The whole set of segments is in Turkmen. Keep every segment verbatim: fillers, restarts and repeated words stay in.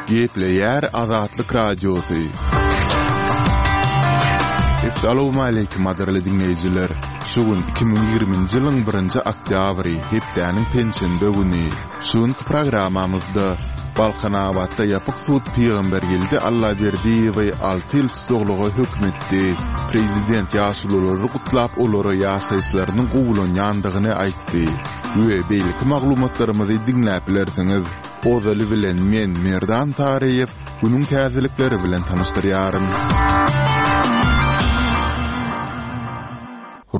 Gepleýär Azatlyk Radiosy. Essalawmaleýkim gadyrly diňleýjiler! Şu gün iki müň ýigriminji ýylyň birinji oktýabry, hepdäniň penşenbe güni. Şu günki programmamyzda Balkanabatda ýapyk sud Pygambergeldi Allaberdiýewi alty ýyl tussaglyga höküm etdi. Prezident ýaşululary gutlap olara ýaşaýyşlarynyň gowulanýandygyny aýtdy we beýleki maglumatlarymyzy diňläp bilersiňiz. Ozaly bilen men Merdan Saryýew günüň täzelikleri bilen tanyşdyrýaryn.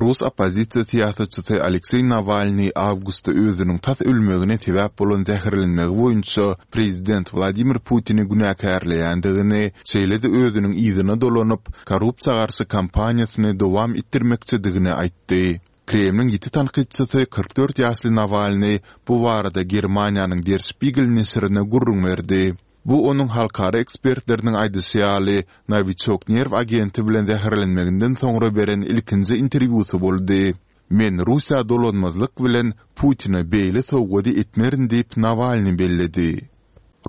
Rus oppozisiýa syýasatçysy Alekseý Nawalnyý awgustda özüniň tas ölmegine sebäp bolan zäherlenmegi boýunça prezident Wladimir Putini günäkärleýändigini, şeýle-de özüniň yzyna dolanyp, korrupsiýa garşy kampaniýasyny dowam etdirmekçidigini aýtdy. Kremliň ýiti tankytçysy kyrk dört ýaşly Nawalnyý bu barada Germaniýanyň Der Spiegel neşirine gürrüň berdi. Bu onuň halkara ekspertleriniň aýdyşy ýaly, Nowiçok nerw agenti bilen zäherlenmeginden soňra beren ilkinji interwýusy boldy. Men Russiýa dolanmazlyk bilen Putine beýle sowgady etmerin diýip, Nawalnyý belledi.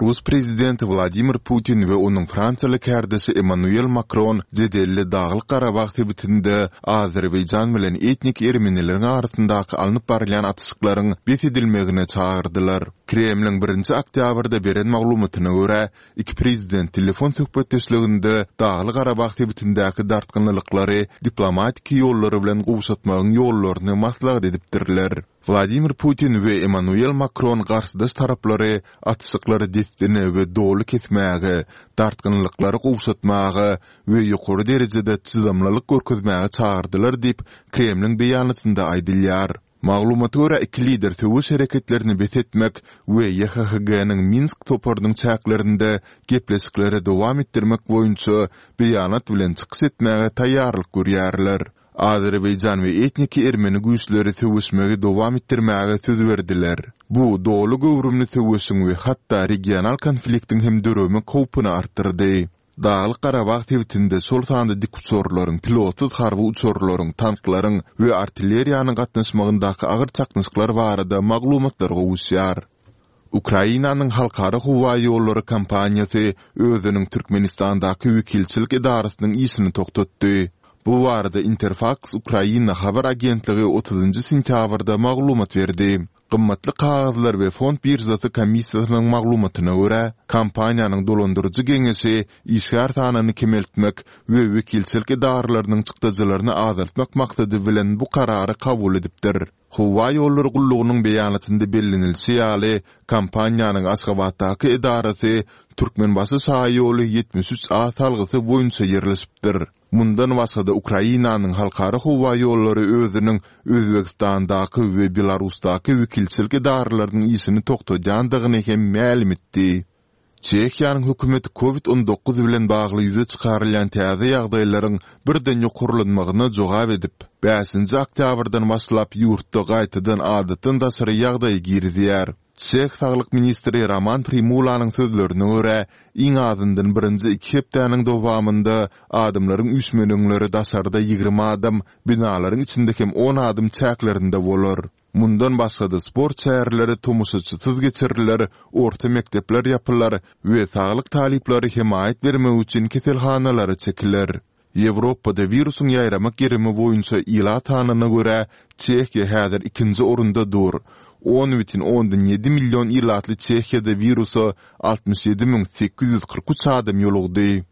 Rus prezidenti Wladimir Putin we onuň fransiýaly kärdeşi Emmanuel Makron jedelli Daglyk-Garabag sebitinde Azerbaýjan bilen etnik ermenileriň arasyndaky alnyp barylýan atyşyklaryň bes edilmegine çagyrdylar. Kremliň birinji oktýabrda beren maglumatyna görä, iki prezident telefon söhbetdeşliginde Dagly-Garabag sebitindäki dartgynlylyklary diplomatiki ýollar bilen gowşatmagyň ýollaryny maslahat edipdirler. Wladimir Putin we Emmanuel Makron garşydaş taraplary atyşyklary dessine we doly kesmäge, dartgynlylyklary gowşatmaga we ýokary derejede çydamlylyk görkezmäge çagyrdylar diýip, Kremliň beýanatynda aýdylýar. Maglumata görä, iki lider söweş hereketlerini bes etmek we YHHG-niň Minsk toparynyň çäklerinde gepleşikleri dowam etdirmek boýunça beýanat bilen çykyş etmäge taýýarlyk görýärler. Azerbaýjan we etniki ermeni güýçleri söweşmegi dowam etdirmäge söz berdiler. Bu doly göwrümli söweşiň we hatda regional konfliktiň hem döremek howpuny artdyrdy. Daglyk-Garabag sebitinde şol sanda dikuçarlaryň, pilotsyz harby uçarlaryň, tanklaryň we artilleriýanyň gatnaşmagyndaky agyr çaknyşyklar barada maglumatlar gowuşýar. Ukrainanyň Halkara howa ýollary kompaniýasy özüniň Türkmenistandaky wekilçilik edarasynyň işini togtatdy. Bu barada Interfaks-Ukraina habar agentligi otuzynjy sentýabrda maglumat berdi. Gymmatly kagyzlar we fond biržasy komissiýasynyň maglumatyna görä, kompaniýanyň dolandyryjy geňeşi işgär sanyny kemeltmek we wekilçilik edaralarynyň çykdajylaryny azaltmak maksady bilen bu karary kabul edipdir. Howa ýollary gullugynyň beýanatynda bellenilişi ýaly, kompaniýanyň Aşgabatdaky edarasy Türkmenbaşy şaýoly ýetmiş üç A salgysy boýunça ýerleşipdir. Mundan başga-da Ukrainanyň Halkara howa ýollary özüniň Özbegistandaky we Belarusdaky wekilçilik edaralarynyň işini togtadýandygyny hem mälim etdi. Çehiýanyň hökümeti Covid on dokuz bilen bagly ýüze çykarylýan täze ýagdaýlaryň birden ýokarlanmagyna jogap edip, bäşinji oktýabrdan başlap ýurtda gaýtadan adatdan daşary ýagdaýy girizýär. Çeh saglyk ministri Roman Primulanyň sözlerine görä, iň azyndan birinji iki hepdäniň dowamynda adamlaryň üýşmeleňleri daşarda ýigrimi adam, binalaryň içinde hem on adam çäklerinde bolar. Mundan başga-da sport çäreleri tomaşaçysyz geçiriler, orta mekdepler ýapylar we saglyk talyplary hemaýat bermek üçin keselhanalara çekiler. Ýewropada wirusyň ýaýramak gerimi boýunça ilat sanyna görä Çehiýa häzir ikinji orunda dur. On bütin ondan ýedi million ilatly Çehiýada wirusa altmyş ýedi müň sekiz ýüz kyrk üç adam ýolugdy.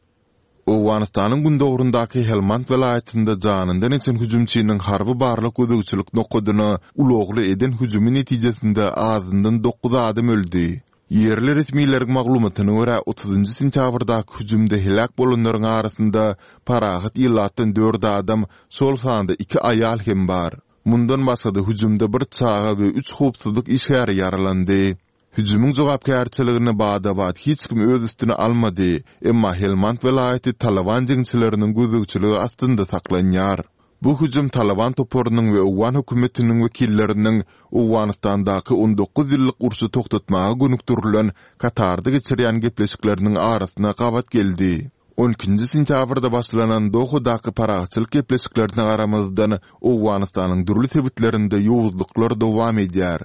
Owganystanyň gündogaryndaky Helmand welaýatynda janyndan geçen hüjümçiniň harby barlag gözegçilik nokadyna ulagly eden hüjümi netijesinde azyndan dokuz adam öldi. Ýerli resmileriň maglumatyna görä, otuzynjy sentýabrdaky hüjümde heläk bolanlaryň arasynda parahat ilatdan dört adam, şol sanda iki aýal hem bar. Mundan başga-da hüjümde bir çaga we üç howpsuzlyk işgäri ýaralandy. Hüjümiň jogapkärçiligini bada-bat hiç kim öz üstüne almady, emma Helmand welaýaty Talyban jeňçileriniň gözegçiligi astynda saklanýar. Bu hüjüm Talyban toparynyň we owgan hökümetiniň wekilleriniň Owganystandaky on dokuz ýyllyk urşy togtatmaga gönükdirilen Katarda geçirýän gepleşikleriniň arasyna gabat geldi. On ikinji sentýabrda başlanan Dohadaky parahatçylyk gepleşiklerine garamazdan, Owganystanyň dürli sebitlerinde ýowuzlyklar dowam edýär.